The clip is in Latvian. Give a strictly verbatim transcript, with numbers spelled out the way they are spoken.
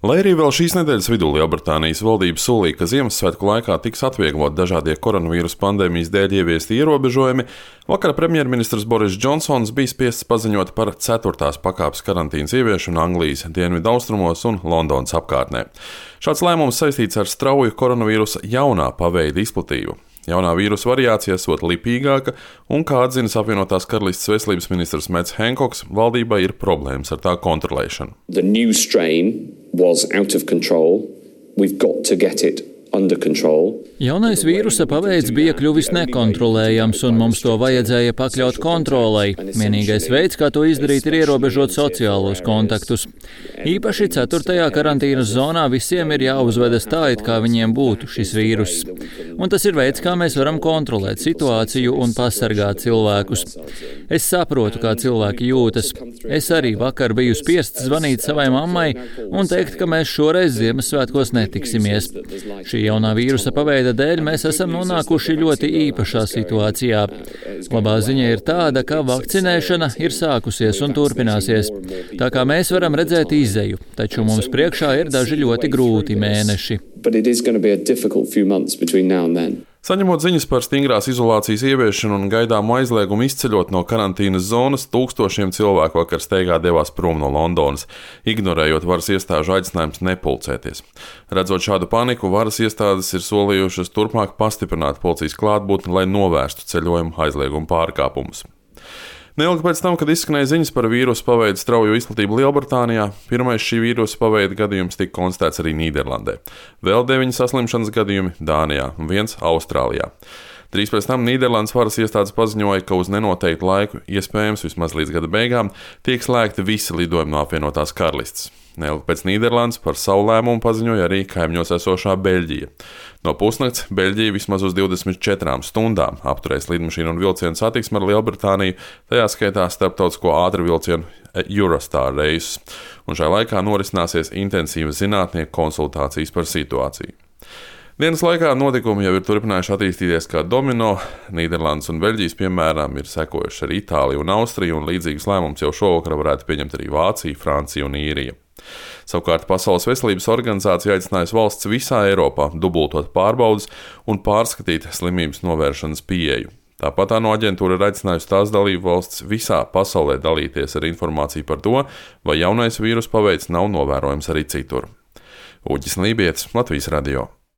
Lai arī vēl šīs nedēļas vidū Lielbritānijas valdība solīja, ka Ziemassvētku laikā tiks atvieglot dažādie koronavīrusa pandēmijas dēļ ieviesti ierobežojumi, vakar premjerministrs Boris Džonsons bija spiests paziņot par ceturtās pakāpes karantīnas ieviešanu Anglijas dienvidaustrumos un Londonas apkārtnē. Šāds lēmums saistīts ar strauju koronavīrusa jaunā paveida izplatību. Jaunā vīrusa variācija esot lipīgāka, un, kā atzinis apvienotās karalistes veselības ministrs Mets Henkoks, valdībai ir problēmas ar tā kontrolēšanu. The new strain was out of control. We've got to get it under control. Jaunais vīrusa paveids bija kļuvis nekontrolējams, un mums to vajadzēja pakļaut kontrolei. Vienīgais veids, kā to izdarīt, ir ierobežot sociālos kontaktus. Īpaši ceturtajā karantīnas zonā visiem ir jāuzvedas tā, it kā viņiem būtu šis vīruss. Un tas ir veids, kā mēs varam kontrolēt situāciju un pasargāt cilvēkus. Es saprotu, kā cilvēki jūtas. Es arī vakar biju spiests zvanīt savai mammai un teikt, ka mēs šoreiz Ziemassvētkos netiksimies. Šī jaunā vīrusa paveida dēļ mēs esam nonākuši ļoti īpašā situācijā. Labā ziņa ir tāda, ka vakcinēšana ir sākusies un turpināsies. Tā kā mēs varam redzēt izeju, taču mums priekšā ir daži ļoti grūti mēneši. Saņemot ziņas par stingrās izolācijas ieviešanu un gaidāmu aizliegumu izceļot no karantīnas zonas, tūkstošiem cilvēku vakar steigā devās prom no Londonas, ignorējot varas iestāžu aicinājumus nepulcēties. Redzot šādu paniku, varas iestādes ir solījušas turpmāk pastiprināt policijas klātbūtni, lai novērstu ceļojumu aizliegumu pārkāpumus. Neilgi pēc tam, kad izskanēja ziņas par vīrusu paveidu strauju izplatību Lielbritānijā, pirmais šī vīrusa paveida gadījums tika konstatēts arī Nīderlandē. Vēl deviņi saslimšanas gadījumi Dānijā un viens Austrālijā. Drīz pēc tam Nīderlandes varas iestādes paziņoja, ka uz nenoteiktu laiku, iespējams vismaz līdz gada beigām, tiek slēgti visi lidojumi no apvienotās karalistes. Neilgi pēc Nīderlandes par savu lēmumu paziņoja arī kaimiņos esošā Beļģija. No pusnakts Beļģija vismaz uz divdesmit četrām stundām apturēs lidmašīnu un vilcienu satiksmi ar Lielbritāniju, tajā skaitā starptautisko ātrvilcienu Eurostar reisus, un šajā laikā norisināsies intensīvas zinātnieku konsultācijas par situāciju. Dienas laikā notikumi jau ir turpinājuši attīstīties kā domino. Nīderlandes un Beļģijas piemēram ir sekojuši arī Itālija un Austrija, un līdzīgus lēmumus jau šovakar varētu pieņemt arī Vācija, Francija un Īrija. Savukārt Pasaules veselības organizācija aicinājusi valsts visā Eiropā dubultot pārbaudes un pārskatīt slimības novēršanas pieeju. Tāpat ANO aģentūra ir aicinājusi tās dalību valsts visā pasaulē dalīties ar informāciju par to, vai jaunais vīrusa paveids nav novērojams arī citur. Uģis Lībietis, Latvijas radio.